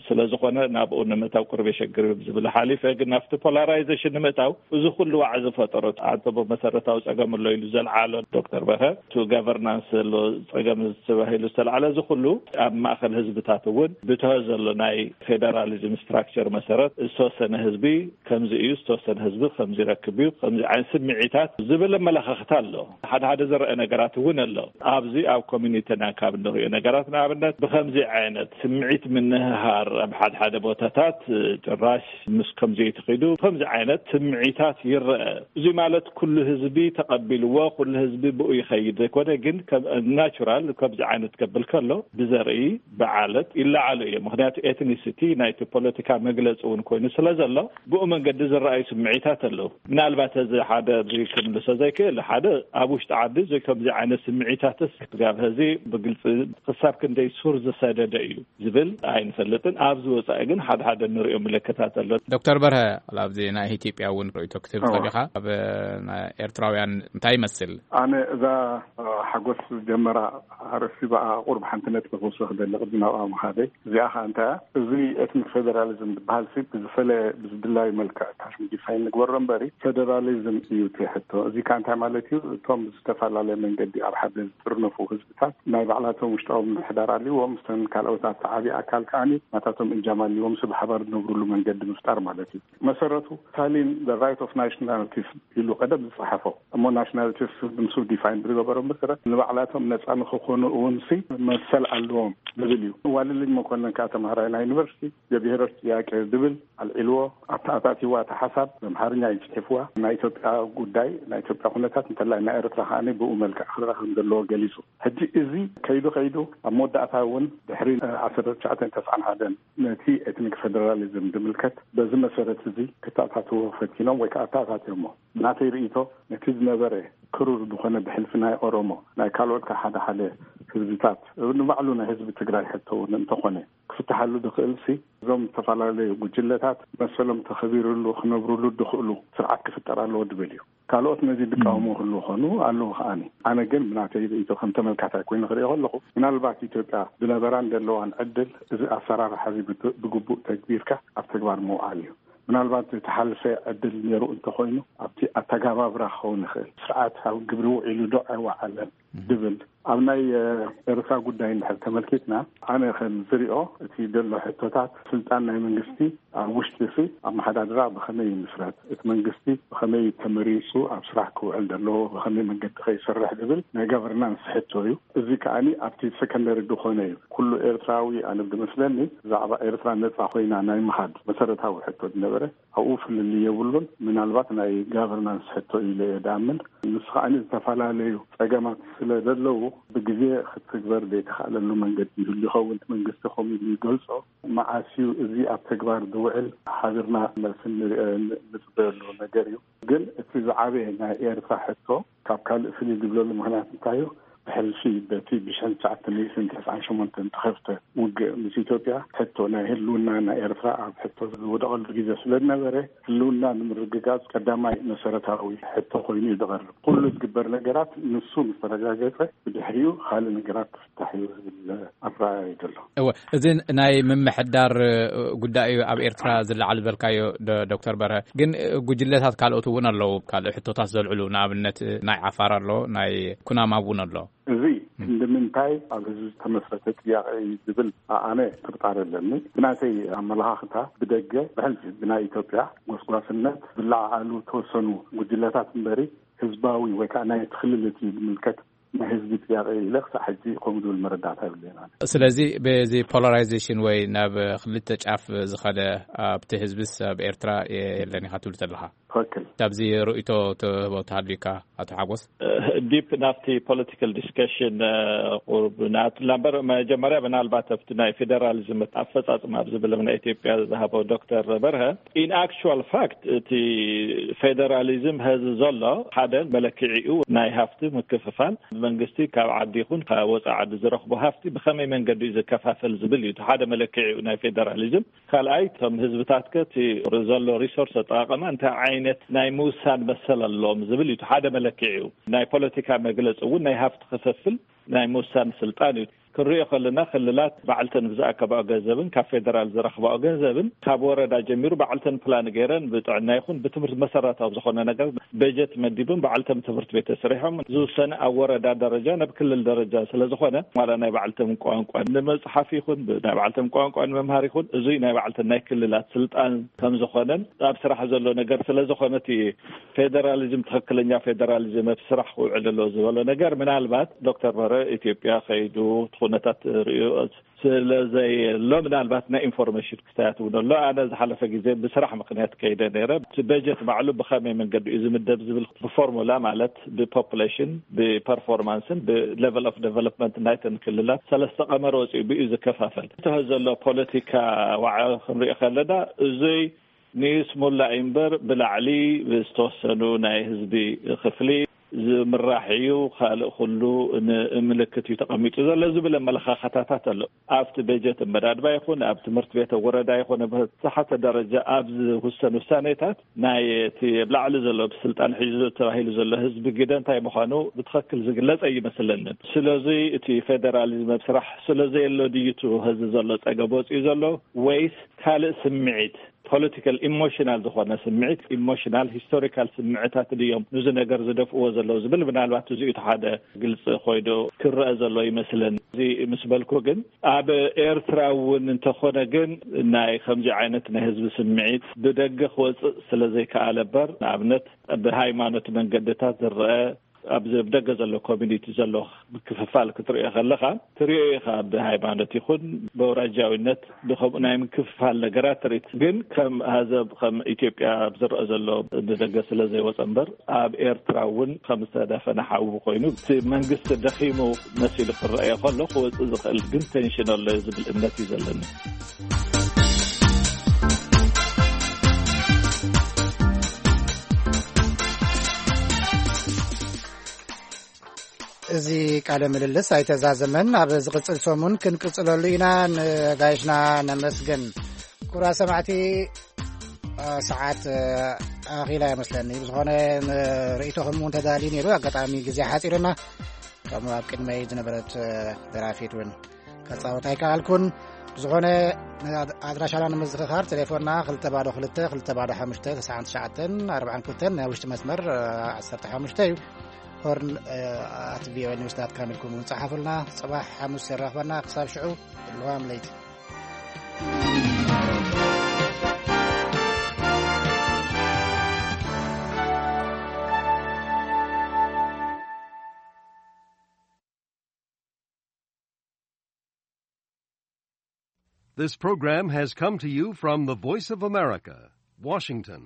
ስለ ዝኾነ ናብኡ ንምእታው ቅርብ የሸግር ዝብል ሓሊፈ፣ ግን ናብቲ ፖላራይዜሽን ንምእታው እዚ ኩሉ ዋዕ ዝፈጠሮ ኣንተ መሰረታዊ ጸገም ኣሎ ኢሉ ዘልዓሎ ዶክተር በርሀ፣ እቲ ጋቨርናንስ ዘሎ ጸገም ተባሂሉ ዝተልዓለ፣ እዚ ኩሉ ኣብ ማእከል ህዝብታት እውን ብትሆ ዘሎ ናይ ፌደራሊዝም ስትራክቸር መሰረት ዝተወሰነ ህዝቢ ከምዚ እዩ፣ ዝተወሰነ ህዝቢ ከምዚ ይረክብ እዩ፣ ከምዚ ዓይነት ስምዒታት ዝብል ኣመለኻኽታ ኣሎ። ሓደ ሓደ ዝረአ ነገራት እውን ኣሎ። ኣብዚ ኣብ ኮሚኒቲና ካብ እንሪኦ ነገራት፣ ንኣብነት ብከምዚ ዓይነት ስምዒት ምንህሃር ኣብ ሓደ ሓደ ቦታታት ጭራሽ ምስ ከምዚ ተኺዱ ከምዚ ዓይነት ስምዒታት ይረአ። እዚ ማለት ኩሉ ህዝቢ ተቐቢልዎ፣ ኩሉ ህዝቢ ብኡ ይኸይድ ዘይኮነ፣ ግን ከም ናቹራል ከምዚ ዓይነት ከብል ከሎ ብዘርኢ፣ ብዓለት ይለዓሉ እዮም። ምኽንያቱ ኤትኒሲቲ ናይቲ ፖለቲካ መግለፂ እውን ኮይኑ ስለ ዘሎ ብኡ መንገዲ ዝረኣዩ ስምዒታት ኣለዉ። ምናልባት እዚ ሓደ እዚ ክምልሶ ዘይክእል፣ ሓደ ኣብ ውሽጢ ዓዲ እዚ ከምዚ ዓይነት ስምዒታትስ ስጋብ ሕዚ ብግልፂ ክሳብ ክንደይ ሱር ዝሰደደ እዩ ዝብል ኣይንፈልጥን። ኣብዚ ወፃኢ ግን ሓደ ሓደ ንሪኦ ምልክታት ኣሎ። ዶክተር በርሀ፣ ኣብዚ ናይ ኢትዮጵያ እውን ርእይቶ ክትህብ እዋ። ጸኒኻ፣ ኣብ ናይ ኤርትራውያን እንታይ ይመስል? ኣነ እዛ ሓጎስ ጀመራ ኣርእስቲ ብኣ ቁሩብ ሓንቲ ነጥቢ ክውስኽ ክደሊ ቅድሚ ናብኣ ምኻደይ። እዚኣ ኸኣ እንታይ እያ? እዚ ኤትኒክ ፌደራሊዝም ዝበሃል ሲ ብዝፈለየ ብዝድላዩ መልክዕ ታሽም ዲፋይን ንግበሮ እምበሪ፣ ፌደራሊዝም እዩ እቲ ሕቶ። እዚ ከኣ እንታይ ማለት እዩ? እቶም ዝተፈላለየ መንገዲ ኣብ ሓደ ዝጥርነፉ ህዝብታት ናይ ባዕላቶም ውሽጣዊ ምምሕዳር ኣልዎም፣ ምስቶም ካልኦት ኣብቲ ዓብዪ ኣካል ከኣ ናታቶም እጃም ኣልዎም፣ ሲ ብሓባር ዝነብሩሉ መንገዲ ምፍጣር ማለት እዩ። መሰረቱ ስታሊን the right of nationalities ኢሉ ቀደም ዝጸሓፎ፣ እሞ ናሽናሊቲስ ምስ ዲፋይን ብዝገበሮ መሰረት ንባዕላቶም ነጻ ንክኾኑ እውን ሲ መሰል ኣለዎም ዝብል እዩ። ዋለልኝ መኮንን ከኣ ተምሃራይ ናይ ዩኒቨርሲቲ የብሄሮች ጥያቄ ዝብል ኣልዒልዎ፣ ኣተኣታቲዋ እቲ ሓሳብ፣ ብኣምሓርኛ እዩ ጽሒፍዋ። ናይ ኢትዮጵያ ጉዳይ፣ ናይ ኢትዮጵያ ኩነታት እንተላይ ናይ ኤርትራ ከኣ ብኡ መልክዕ ክረኣ ከም ዘለዎ ገሊጹ። ሕጂ እዚ ከይዱ ከይዱ ኣብ መወዳእታ እውን ድሕሪ ዓሰርተ ትሽዓተ ተስዓን ሓደን ነቲ ኤትኒክ ፌደራሊዝም ዝምልከት በዚ መሰረት እዚ ክተኣታትዎ ፈቲኖም ወይ ከዓ ኣተኣታትዮሞ። ናተይ ርእይቶ ነቲ ዝነበረ ክሩር ዝኾነ ብሕልፊ ናይ ኦሮሞ፣ ናይ ካልኦት ከዓ ሓደ ሓደ ህዝብታት፣ ንባዕሉ ናይ ህዝቢ ትግራይ ሕቶ እውን እንተኾነ ክፍትሓሉ ዝኽእል ሲ እዞም ዝተፈላለዩ ጉጅለታት መሰሎም ተኸቢርሉ ክነብርሉ ዝኽእሉ ስርዓት ክፍጠር ኣለዎ ዝብል እዩ። ካልኦት ነዚ ዝቃወሙ ክህልዉ ኾኑ ኣለዉ ከዓኒ። ኣነ ግን ብናተይ ርእይቶ ከም ተመልካታይ ኮይኑ ክሪኦ ከለኹ ምናልባት ኢትዮጵያ ዝነበራን ዘለዋን ዕድል እዚ ኣሰራርሓ እዚ ብት-፣ ብግቡእ ተግቢርካ ኣብ ተግባር ምውዓል እዩ። ምናልባት ዝተሓልፈ ዕድል ነይሩ እንተኾይኑ ኣብቲ ኣተጋባብራ ክኸውን ይኽእል። ስርዓት ኣብ ግብሪ ውዒሉ ዶ ኣይወዓለን ዝብል ኣብ ናይ ኤርትራ ጉዳይ እንድሕር ተመልኪትና፣ ኣነ ከም ዝሪኦ እቲ ዘሎ ሕቶታት፣ ስልጣን ናይ መንግስቲ ኣብ ውሽጢ ሲ ኣመሓዳድራ ብኸመይ ይምስረት፣ እቲ መንግስቲ ብኸመይ ተመሪፁ ኣብ ስራሕ ክውዕል ዘለዎ፣ ብኸመይ መንገዲ ከይሰርሕ ዝብል ናይ ጋቨርናንስ ሕቶ እዩ። እዚ ከዓኒ ኣብቲ ሰከንደሪ ዝኾነ እዩ። ኩሉ ኤርትራዊ፣ ኣነ ብመስለኒ፣ ብዛዕባ ኤርትራ ነፃ ኮይና ናይ ምኻድ መሰረታዊ ሕቶ ዝነበረ ኣብኡ ፍልልይ የብሉን። ምናልባት ናይ ጋቨርናንስ ሕቶ ኢለ እየ ድኣምን። ንሱ ከዓኒ ዝተፈላለዩ ጸገማት ስለ ዘለዉ፣ ብግዜ ክትግበር ዘይተኻእለሉ መንገዲ ይህሉ ይኸውን። መንግስቲ ከምኡ ኢሉ ይገልጾ። መዓስ እዩ እዚ ኣብ ተግባር ዝውዕል? ሓቢርና መልሲ ንጽበየሉ ነገር እዩ። ግን እቲ ዝዓበየ ናይ ኤርትራ ሕቶ ካብ ካልእ ፍልይ ዝብለሉ ምኽንያት እንታይ እዩ? ብሕልፊ በቲ ብሽሕን ትሽዓተ ሚእትን ተስዓን ሸሞንተን ተኸፍተ ውግእ ምስ ኢትዮጵያ፣ ሕቶ ናይ ህልውና ናይ ኤርትራ ኣብ ሕቶ ዝወደቐሉ ግዜ ስለ ዝነበረ፣ ህልውና ንምርግጋጽ ቀዳማይ መሰረታዊ ሕቶ ኮይኑ እዩ ዝቐርብ። ኩሉ ዝግበር ነገራት ንሱ ምስ ተረጋገጸ፣ ብድሕሪኡ ካልእ ነገራት ክፍታሕ እዩ ዝብል ኣረኣእያ እዩ ዘሎ። እወ፣ እዚ ናይ ምምሕዳር ጉዳይ እዩ ኣብ ኤርትራ ዝለዓል ዝበልካዮ፣ ዶ-፣ ዶክተር በርሀ። ግን ጉጅለታት ካልኦት እውን ኣለዉ፣ ካልእ ሕቶታት ዘልዕሉ፣ ንኣብነት ናይ ዓፋር ኣሎ፣ ናይ ኩናማ እውን ኣሎ። እዚ ክንዲ ምንታይ ኣብ ህዝቢ ዝተመስረተ ጥያቄ እዩ ዝብል ኣነ ጥርጣረ ኣለኒ። ብናተይ ኣመለኻኽታ፣ ብደገ ብሕልፊ ብናይ ኢትዮጵያ ጎስጓስነት ዝለዓዓሉ ተወሰኑ ጉጅለታት እምበሪ፣ ህዝባዊ ወይ ከዓ ናይ እቲ ክልል እቲ ዝምልከት ናይ ህዝቢ ጥያቄ ኢለ ክሳዕ ሕጂ ከምኡ ዝብል መረዳእታ የብለይን ኣነ። ስለዚ በዚ ፖላራይዜሽን ወይ ናብ ክልተ ጫፍ ዝኸደ ኣብቲ ህዝብስ ኣብ ኤርትራ የለን ኢኻ ትብል ዘለኻ? ትኽክል። ካብዚ ርእይቶ ትህቦ ተሃልዩካ ኣቶ ሓጎስ? ዲፕ ናብቲ ፖለቲካል ዲስከሽን ቁሩብ ንኣትላ እምበር፣ መጀመርያ ምናልባት ኣብቲ ናይ ፌደራሊዝም ኣፈጻጽማ ኣብ ዝብል ናይ ኢትዮጵያ ዝሃቦ ዶክተር በርሀ፣ ኢን ኣክቹዋል ፋክት እቲ ፌደራሊዝም ሀዚ ዘሎ ሓደ መለክዒኡ ናይ ሃፍቲ ምክፍፋል፣ መንግስቲ ካብ ዓዲ ይኹን ካብ ወፃኢ ዓዲ ዝረኽቦ ሃፍቲ ብኸመይ መንገዲ እዩ ዝከፋፈል ዝብል እዩ እቲ ሓደ መለክዒኡ ናይ ፌደራሊዝም። ካልኣይ፣ እቶም ህዝብታት ከ እቲ ዘሎ ሪሶርስ ኣጠቓቕማ እንታይ ዓይነት ናይ ምውሳን መሰል ኣለዎም ዝብል እዩ እቲ ሓደ መለክዒኡ። ናይ ፖለቲካ መግለፂ እውን ናይ ሃፍቲ ክፍፍል ናይ ምውሳን ስልጣን እዩ። ክንሪኦ ከለና ክልላት ባዕልተን ብዝኣከባኦ ገንዘብን ካብ ፌደራል ዝረኽባኦ ገንዘብን ካብ ወረዳ ጀሚሩ ባዕልተን ፕላን ገይረን ብጥዕና ይኹን ብትምህርቲ መሰረታዊ ዝኾነ ነገር በጀት መዲብን ባዕልተን ትምህርቲ ቤት ተስሪሖም ዝውሰነ ኣብ ወረዳ ደረጃ ናብ ክልል ደረጃ ስለ ዝኾነ ዋላ ናይ ባዕልተን ቋንቋ ንመፅሓፍ ይኹን ብ-፣ ናይ ባዕልተን ቋንቋ ንምምሃር ይኹን እዙይ ናይ ባዕልተን ናይ ክልላት ስልጣን ከም ዝኾነን ኣብ ስራሕ ዘሎ ነገር ስለ ዝኾነ እቲ ፌደራሊዝም ትኽክለኛ ፌደራሊዝም ኣብ ስራሕ ክውዕል ኣለዎ ዝበሎ ነገር ምናልባት ዶክተር በርሀ ኢትዮጵያ ከይዱ እቲ ኩነታት ርእዩ ስለ ዘየሎ ምናልባት ናይ ኢንፎርሜሽን ክስተያት እውን ኣሎ። ኣነ ዝሓለፈ ግዜ ብስራሕ ምኽንያት ከይደ ነይረ። እቲ በጀት ባዕሉ ብኸመይ መንገዲ እዩ ዝምደብ ዝብል ብፎርሙላ ማለት ብፖፑሌሽን፣ ብፐርፎርማንስን ብሌቨል ኦፍ ዴቨሎፕመንት ናይተን ክልላት ሰለስተ ቀመር ወፂኡ ብኡ ዝከፋፈል። እቲ ዘሎ ፖለቲካ ዋዕ ክንሪኦ ከለና እዙይ ንይስሙላ እምበር ብላዕሊ ዝተወሰኑ ናይ ህዝቢ ክፍሊ ዝምራሕ እዩ፣ ካልእ ኩሉ ንምልክት እዩ ተቐሚጡ ዘሎ ዝብል ኣመለኻኸታታት ኣሎ። ኣብቲ በጀት ኣመዳድባ ይኹን ኣብ ትምህርቲ ቤት ወረዳ ይኹን ኣብ ዝተሓተ ደረጃ ኣብ ዝውሰን ውሳኔታት ናይ እቲ ኣብ ላዕሊ ዘሎ ብስልጣን ሒዙ ተባሂሉ ዘሎ ህዝቢ ግደ እንታይ ምዃኑ ብትኽክል ዝግለጽ ኣይመስለንን። ስለዚ እቲ ፌደራሊዝም ኣብ ስራሕ ስለ ዘየሎ ድዩ እቲ ህዝቢ ዘሎ ጸገም ወጺኡ ዘሎ ወይስ ካልእ ስምዒት ፖለቲካል ኢሞሽናል ዝኾነ ስምዒት፣ ኢሞሽናል ሂስቶሪካል ስምዕታት ድዮም ነዚ ነገር ዝደፍእዎ ዘለዉ ዝብል ምናልባት እዚኡ እቲ ሓደ ግልፂ ኮይኑ ክረአ ዘሎ ይመስለኒ። እዚ ምስ በልኩ ግን ኣብ ኤርትራ እውን እንተኾነ ግን ናይ ከምዚ ዓይነት ናይ ህዝቢ ስምዒት ብደገ ክወፅእ ስለ ዘይከኣለ እምበር ንኣብነት ብሃይማኖት መንገድታት ዝረአ ኣብዚ ኣብ ደገ ዘሎ ኮሚኒቲ ዘሎ ምክፍፋል ክትሪኦ ከለኻ ትሪኦ ኢኻ። ብሃይማኖት ይኹን ብኣውራጃዊነት ብከምኡ ናይ ምክፍፋል ነገራት ትርኢት ግን ከም ሃዘብ ከም ኢትዮጵያ ኣብ ዝረአ ዘሎ ብደገ ስለ ዘይወፀ እምበር ኣብ ኤርትራ እውን ከም ዝተደፈነ ሓዊ ኮይኑ እቲ መንግስቲ ደኺሙ መሲሉ ክረኣዮ ከሎ ክወፅእ ዝኽእል ግን ቴንሽን ኣሎ ዝብል እምነት እዩ ዘለኒ። እዚ ቃለ ምልልስ ኣይተዛዘመን። ኣብ ዝቕጽል ሰሙን ክንቅጽለሉ ኢና። ንጋይሽና ነመስግን። ክቡራት ሰማዕቲ፣ ሰዓት ኣኺላ ይመስለኒ። ብዝኾነ ርእይቶኹም እውን ተዳልዩ ነይሩ። ኣጋጣሚ ግዜ ሓጺርና። ከምኡ ኣብ ቅድመይ ዝነበረት ደራፊት እውን ከጻወት ኣይከኣልኩን። ብዝኾነ ኣድራሻና ንምዝኽኻር ቴሌፎንና ክልተ ባዶ ክልተ ክልተ ባዶ ሓሙሽተ ተስዓን ትሽዓተን ኣርባዓን ክልተን ናይ ውሽጢ መስመር ዓሰርተ ሓሙሽተ እዩ። ሆርን ኣት ቪኦኤ ኒውስ ዳት ካም ኢልኩም እውን ጸሓፉልና። ጽባሕ ሓሙስ የራኽበና። ክሳብ ሽዑ፣ ልዋም ለይቲ። This program has come to you from the Voice of America, Washington.